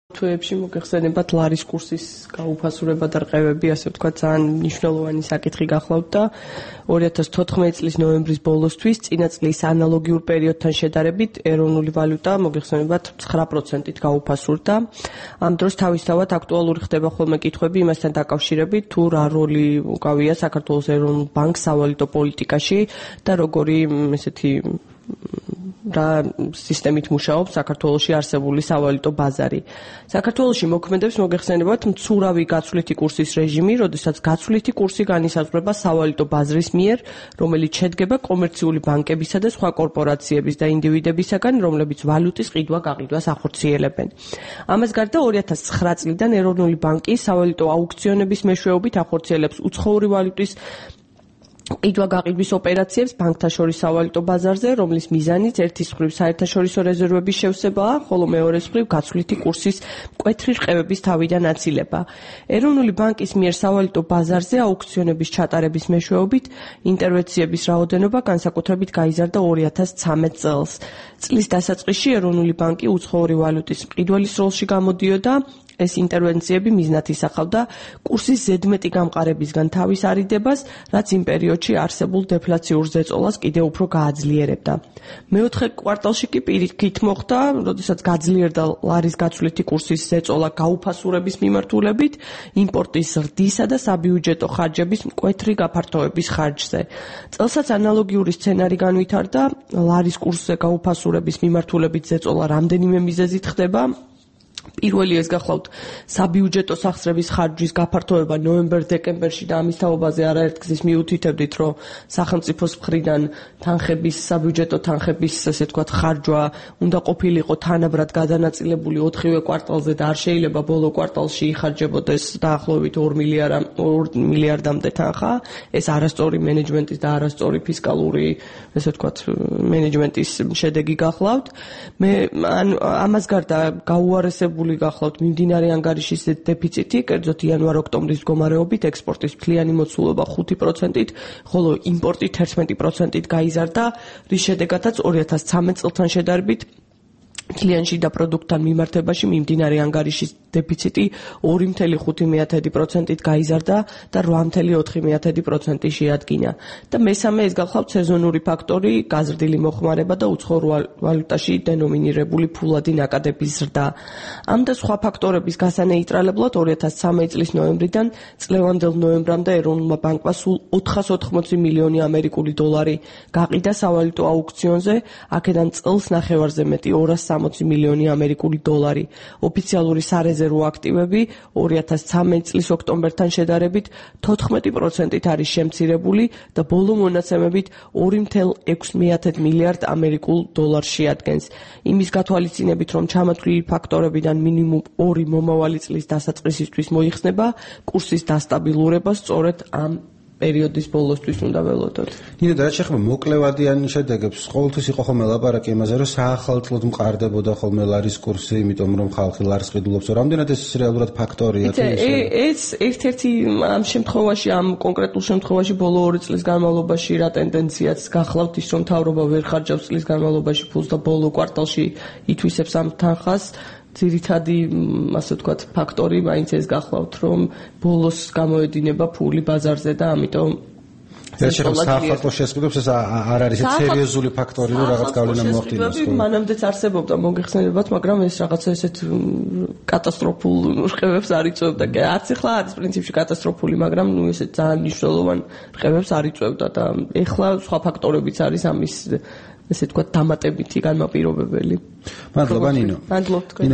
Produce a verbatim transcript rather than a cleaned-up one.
თვეებში მოგეხსენებათ ლარის კურსის გაუფასურება და რყევები, ასე ვთქვათ, ძალიან მნიშვნელოვანი საკითხი გახლავთ და ორი ათას თოთხმეტი წლის ნოემბრის ბოლოსთვის წინა წლის ანალოგიურ პერიოდთან შედარებით ეროვნული ვალუტა მოგეხსენებათ ცხრა პროცენტით გაუფასურდა. ამ დროს თავისთავად აქტუალური ხდება ხოლმე კითხვები იმასთან დაკავშირებით, თუ რა როლი უკავია საქართველოს ეროვნულ ბანკს სავალუტო პოლიტიკაში და როგორი ესეთი რა სისტემით მუშაობს საქართველოში არსებული სავალუტო ბაზარი. საქართველოში მოქმედებს მოგეხსენებათ მცურავი გაცვლითი კურსის რეჟიმი, როდესაც გაცვლითი კურსი განისაზღვრება სავალუტო ბაზრის მიერ, რომელიც შედგება კომერციული ბანკებისა და სხვა კორპორაციების და ინდივიდებისაგან, რომლებიც ვალუტის ყიდვა-გაყიდვას ახორციელებენ. ამას გარდა ორი ათას ცხრა წლიდან ეროვნული ბანკი სავალუტო აუქციონების მეშვეობით ახორციელებს უცხოური ვალუტის ყიდვა-გაყიდვის ოპერაციებს ბანკთა შორის სავალუტო ბაზარზე, რომლის მიზანიც ერთის მხრივ საერთაშორისო რეზერვების შევსებაა, ხოლო მეორეს მხრივ გაცვლითი კურსის მკვეთრი რყევების თავიდან აცილება. ეროვნული ბანკის მიერ სავალუტო ბაზარზე აუქციონების ჩატარების მეშვეობით ინტერვენციების რაოდენობა განსაკუთრებით გაიზარდა ორი ათას ცხრამეტ წელს. წლის დასაწყისში ეროვნული ბანკი უცხოური ვალუტის მყიდველის როლში გამოდიოდა. ეს ინტერვენციები მიზნად ისახავდა კურსის ზედმეტი გამყარებისგან თავის არიდებას, რაც იმ პერიოდში არსებულ დეფლაციურ ზეწოლას კიდევ უფრო გააძლიერებდა. მეოთხე კვარტალში კი პირიქით მოხდა, როდესაც გაძლიერდა ლარის გაცვლითი კურსის ზეწოლა გაუფასურების მიმართულებით, იმპორტის ზრდისა და საბიუჯეტო ხარჯების მკვეთრი გაფართოების ხარჯზე. წელსაც ანალოგიური სცენარი განვითარდა, ლარის კურსზე გაუფასურების მიმართულებით ზეწოლა რამდენიმე მიზეზით ხდება. პირველი ეს გახლავთ საბიუჯეტო სახსრების ხარჯვის გაფართოება ნოემბერ-დეკემბერში და ამის თაობაზე არაერთგზის მიუთითებდით, რომ სახელმწიფოს მხრიდან თანხების, საბიუჯეტო თანხების, ასე ვთქვათ, ხარჯვა უნდა ყოფილიყო თანაბრად გადანაწილებული ოთხივე კვარტალზე და არ შეიძლება ბოლო კვარტალში იხარჯებოდეს დაახლოებით ორ მილიარდამდე თანხა. ეს არასწორი მენეჯმენტის და არასწორი ფისკალური, ასე ვთქვათ, მენეჯმენტის შედეგი გახლავთ. მე ამას გარდა გაუარესებული გახლავთ მიმდინარე ანგარიშის დეფიციტი, კერძოდ იანვარ-ოქტომბრის მდგომარეობით ექსპორტის მთლიანი მოცულობა ხუთი პროცენტით, ხოლო იმპორტი თერთმეტი პროცენტით გაიზარდა, რის შედეგადაც ორი ათას ცხრამეტ წელთან შედარებით მთლიან შიდა პროდუქტთან მიმართებაში მიმდინარე ანგარიშის დეფიციტი ორი წუთი ხუთი პროცენტით გაიზარდა და რვა წუთი ოთხი პროცენტი შეადგინა. და მესამე ეს გახლავთ სეზონური ფაქტორი, გაზრდილი მოხმარება და უცხოურ ვალუტაში დენომინირებული ფულადი ნაკადების ზრდა. ამ და სხვა ფაქტორების გასანეიტრალებლად ორი ათას ცხრამეტი წლის ნოემბრიდან წლევანდელ ნოემბრამდე ეროვნულმა ბანკმა სულ ოთხას ოთხმოცი მილიონი ამერიკული დოლარი გაყიდა სავალუტო აუქციონზე, აქედან წელს ნახევარზე მეტი ორას სამოცი მილიონი ამერიკული დოლარი. ოფიციალური სარეზერვო აქტივები ორი ათას ცხრამეტი წლის ოქტომბერთან შედარებით თოთხმეტი პროცენტით არის შემცირებული და ბოლო მონაცემებით ორი წუთი ექვსი მილიარდ ამერიკულ დოლარს შეადგენს. იმის გათვალისწინებით, რომ ჩამოთვლილი ფაქტორებიდან მინიმუმ ორი მომავალი წლის დასაწყისისთვის მოიხსნება, კურსის დასტაბილურება სწორედ ამ პერიოდის ბოლოსთვის უნდა ველოდოთ. ნინო, და რაც შეეხება მოკლევადიან შედეგებს, ყოველთვის იყო ხოლმე ლაპარაკი იმაზე, რომ საახალწლოდ მყარდებოდა ხოლმე ლარის კურსი, იმიტომ რომ ხალხი ლარს ყიდულობს. რამდენად ეს რეალურად ფაქტორია? ეს ერთ-ერთი ამ შემთხვევაში, ამ კონკრეტულ შემთხვევაში ბოლო ორი წლის განმავლობაში რა ტენდენციაც გახლავთ ის, რომ მთავრობა ვერ ხარჯავს წლის განმავლობაში ფულს და ბოლო კვარტალში ითვისებს ამ თანხას. ძირითადი, ასე ვთქვათ, ფაქტორი მაინც ეს გახლავთ, რომ ბოლოს გამოედინება ფული ბაზარზე და ამიტომ ეს საახალწლო შესყიდვებს ეს არ არის სერიოზული ფაქტორი, რომ რაღაც გავლენა მოახდინოს. მანამდეც არსებობდა მოგეხსენებათ, მაგრამ ეს რაღაცა ესეთ კატასტროფულ რყევებს არ იწვევდა. არც ახლა არის პრინციპში კატასტროფული, მაგრამ ნუ ესეთ ძალიან მნიშვნელოვან რყევებს არ იწვევდა და ეხლა სხვა ფაქტორებიც არის ამის, ესე ვთქვათ, დამატებითი განმაპირობებელი. მადლობა ნინო. მადლობთ თქვენ.